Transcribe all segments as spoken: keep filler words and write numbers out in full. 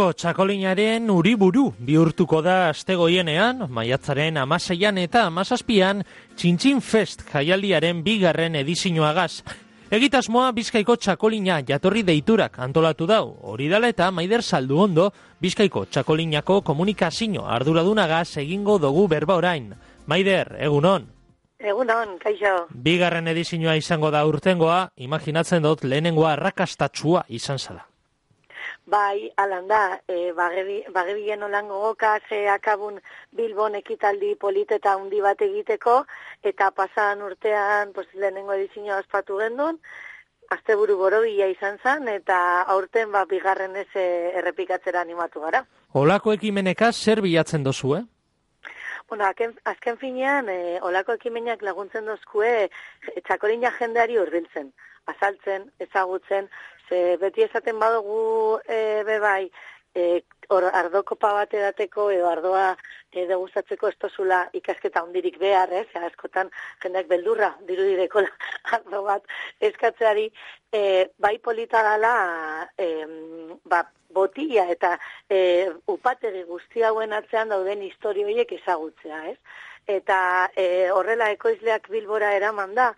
Bizkaiko txakolinaren uriburu bihurtuko da astegoienean, maiatzaren hamaseian eta hamazazpian Txintxin Fest jaialdiaren bigarren edizioagaz. Egitasmoa Bizkaiko txakolina jatorri deiturak antolatu dau. Hori dela eta Maider Salduondo Bizkaiko txakolinako komunikazio arduradunagaz egingo dugu berba orain. Maider, egunon. Egunon, kaixo. Bigarren edizioa izango da urtengoa, imaginatzen dut lehenengoa arrakastatsua izan zala. Bai, alan da, e, bagebien olan gogoka, ze akabun Bilbon ekitaldi politeta handi bat egiteko, eta pasan urtean pues, lehenengo edizioa ospatu gendun, asteburu borobila izan zen, eta aurten ba, bigarren ez errepikatzera animatu gara. Olako ekimeneka zer bilatzen dozu, eh? Bueno, azken, azken finean, e, olako ekimenak laguntzen dozkue txakolina jendeari hurbiltzen, azaltzen, ezagutzen, ze beti esaten badugu e, bebai, e, or, ardokopa bat edateko edo ardoa e, degustatzeko ez tozula ikasketa hondirik behar, ez? Askotan jendeak beldurra dirudireko ardo bat eskatzeari, e, bai polita dala, e, ba, botila eta e, upategi guzti hauen atzean dauden historio horiek ezagutzea, ez? Eta e, horrela ekoizleak Bilbora eraman da,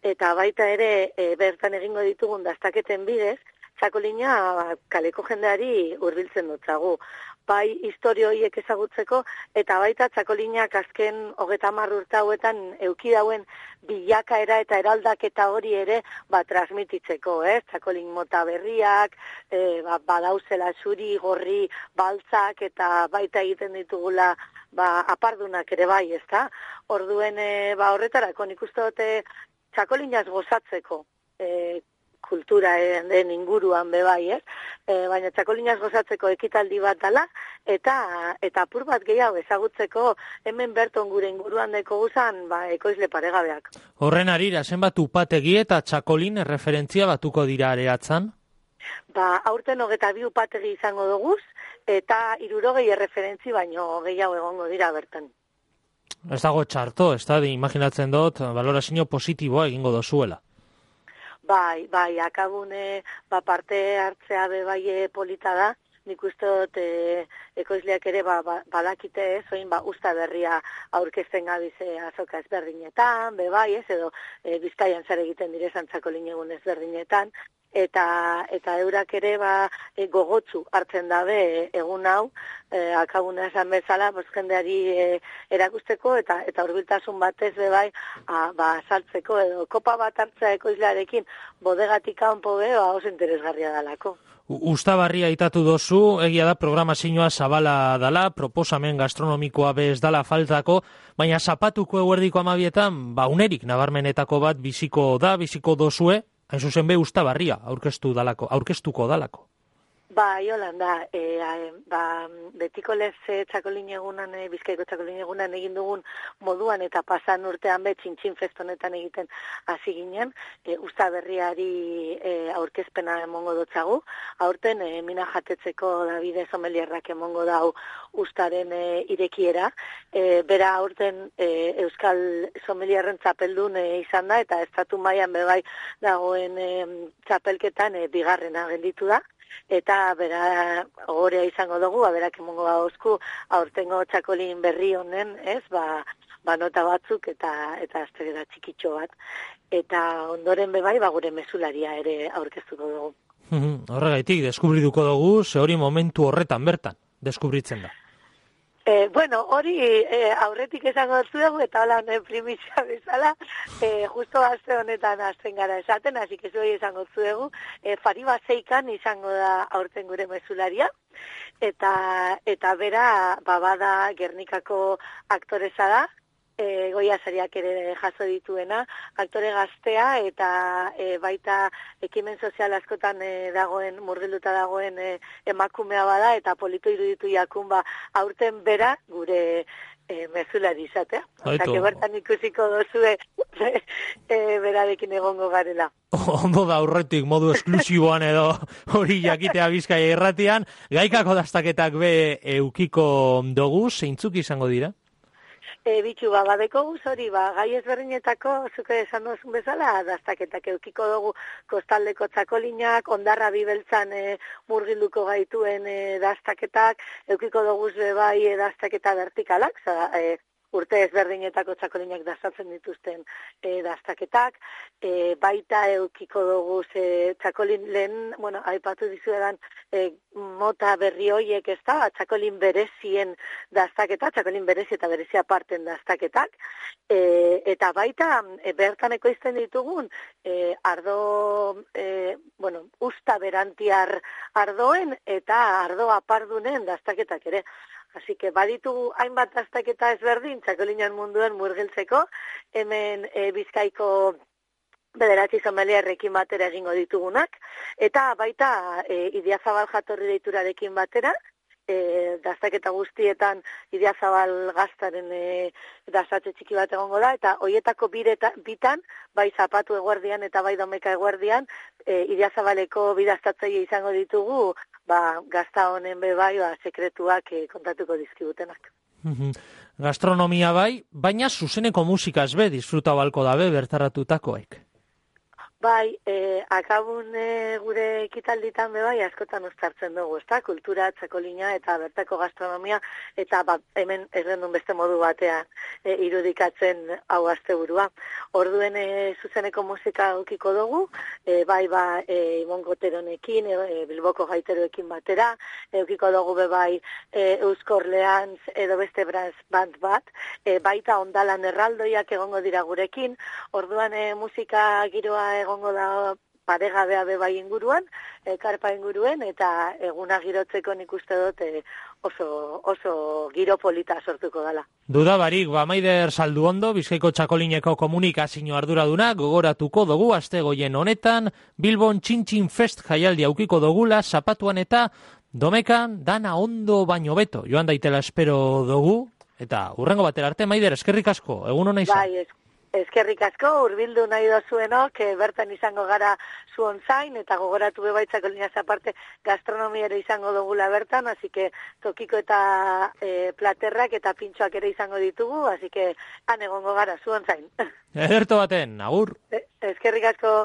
eta baita ere e, bertan egingo ditugun dastaketen bidez, txakolina ba, kaleko jendeari hurbiltzen dutzagu. Bai historio horiek ezagutzeko, eta baita txakolinak azken hogeita hamar urte hauetan euki dauen bilakaera eta eraldaketa hori ere ba, transmititzeko, eh? Txakolin mota berriak, e, ba, badauzela zuri, gorri, baltzak, eta baita egiten ditugula ba, apardunak ere bai, ezta? Orduen e, ba, horretarako nik uste dute txakolinaz gozatzeko e, kultura den inguruan bebai, ez? E, baina txakolinaz gozatzeko ekitaldi bat dala, eta eta apur bat gehiago ezagutzeko hemen berton gure inguruan deko guzan ba, ekoizle paregabeak. Horren arira, zenbat upategi eta txakolin erreferentzia batuko dira areatzan? Ba, aurten hogeta bi upategi izango duguz, eta hirurogei erreferentzi baino gehiago egongo dira bertan. Ez dago txarto, ez da, imaginatzen dut, balorazio positiboa egingo dozuela. Bai, bai, akabune, ba, parte hartzea bebai polita da, nik uste dut e, ekoizleak ere ba, ba, badakite ez, oin ba, usta berria aurkezten gabize azoka ezberdinetan, bebai ez, edo e, Bizkaian zer egiten direzan txakolin egun ezberdinetan, eta eta eurak ere ba, e, gogotsu hartzen dabe e, egun hau, e, akabuna esan bezala, pues, jendeari e, erakusteko eta eta hurbiltasun batez bebai a, ba, saltzeko edo kopa bat hartzea ekoizlearekin bodegatik kanpo be, ba, oso interesgarria dalako. Uztabarria aitatu dozu, egia da programazioa zabala dala, proposamen gastronomikoa bez dala faltako, baina zapatuko eguerdiko amabietan, ba, unerik nabarmenetako bat biziko da, biziko dozue, hain zuzen be Uztabarria aurkeztu dalako, aurkeztuko dalako. Ba, jolan da, e, ba, betiko lez e, txakolin egunan, e, Bizkaiko txakolin egunan egin dugun moduan eta pasan urtean be Txintxin Fest honetan egiten hasi ginen, e, Uztaberriari e, aurkezpena emongo dotzagu, aurten e, mina jatetzeko Davide Somelierrak emongo dau Uztaren e, irekiera, e, bera aurten e, Euskal Somelierren txapeldun e, izan da, eta estatu mailan bebai dagoen e, txapelketan e, bigarrena gelditu da, eta bera ogorea izango dugu, berak emongo gauzku aurtengo txakolin berri honen, ez, ba, ba nota batzuk eta eta azterera txikitxo bat. Eta ondoren bebai, ba gure mezularia ere aurkeztuko dugu. Horregaitik, deskubriduko dugu, ze hori momentu horretan bertan, deskubritzen da. E, bueno, hori e, aurretik esango zuegu, eta hola honen primizia bezala, e, justo aste honetan hasten gara esaten, hasi que zuei esango zuegu, e, Fariba Zeikan izango da aurten gure mezularia, eta eta bera, babada Gernikako aktoresa da, E, Goia sariak ere jaso dituena, aktore gaztea eta e, baita ekimen sozial askotan e, dagoen, murgilduta dagoen e, emakumea bada, eta politu iruditu jakun ba, aurten bera gure e, mezulari izatea. Osa, que bertan ikusiko dozue e, berarekin egongo garela. Ondo da aurretik modu esklusiboan edo hori jakitea Bizkaia irratian, gaikako dastaketak be eukiko dugu, zeintzuk izango dira? E, bitu, ba, badeko guz hori, ba, gai ezberdinetako, zuke esan duzun bezala, daztaketak eukiko dugu kostaldeko txakolinak, ondarra bibeltzan e, murgilduko gaituen e, daztaketak, eukiko dugu bai e, daztaketa vertikalak, za, e, urte ezberdinetako txakolinak dastatzen dituzten e, daztaketak, e, baita eukiko dugu e, txakolin lehen, bueno, aipatu dizuedan e, mota berri hoiek ez da, txakolin berezien daztaketa, txakolin berezi eta berezia parten daztaketak, e, eta baita e, bertan ekoizten ditugun e, ardo, e, bueno, usta berantiar ardoen eta ardo apardunen daztaketak ere. Así que baditugu hainbat daztaketa ezberdin txakolinan munduen murgiltzeko, hemen e, Bizkaiko bederatzi sommeliarrekin batera egingo ditugunak, eta baita e, Idiazabal jatorri deiturarekin batera, e, daztaketa guztietan Idiazabal gaztaren e, daztatze txiki bat egongo da, eta hoietako bireta, bitan, bai zapatu eguerdian eta bai domeka eguerdian, e, Idiazabaleko bidaztatzaile izango ditugu, ba, gazta honen be bai, ba, sekretuak e, kontatuko dizkibutenak. Gastronomia bai, baina zuzeneko musikaz be, disfruta balko dabe bertaratutakoek. Bai, e, akabun e, gure ekitalditan be bai, askotan uztartzen dugu, ezta? Kultura, txakolina eta bertako gastronomia, eta ba, hemen errendun beste modu batean e, irudikatzen hau asteburua. Orduen e, zuzeneko musika aukiko dugu, e, bai ba e, Ibon Goteronekin, e, Bilboko gaiteroekin batera, e, aukiko dugu be bai e, Euskor Leantz edo beste brass band bat, e, baita Ondalan erraldoiak egongo dira gurekin, orduan e, musika giroa egongo da paregabea be bai inguruan, e, karpa inguruen, eta eguna girotzeko nik uste dut e, oso, oso giro polita sortuko dela. Duda barik, ba, Maider Salduondo, Bizkaiko Txakolineko komunikazio arduraduna, gogoratuko dugu astegoien honetan, Bilbon Txintxin Fest jaialdi aukiko dugula, zapatuan eta domekan dana ondo baino beto. Joan daitela espero dugu, eta hurrengo batera arte, Maider, eskerrik asko, egun hona izan. Bai, eskerrik asko, hurbildu nahi dozuenok, e, bertan izango gara zuon zain, eta gogoratu bebaitzako linaz aparte gastronomia ere izango dugula bertan, así que tokiko eta e, platerrak eta pintxoak ere izango ditugu, así que han egongo gara zuon zain. Ederto baten, agur. E, eskerrik asko.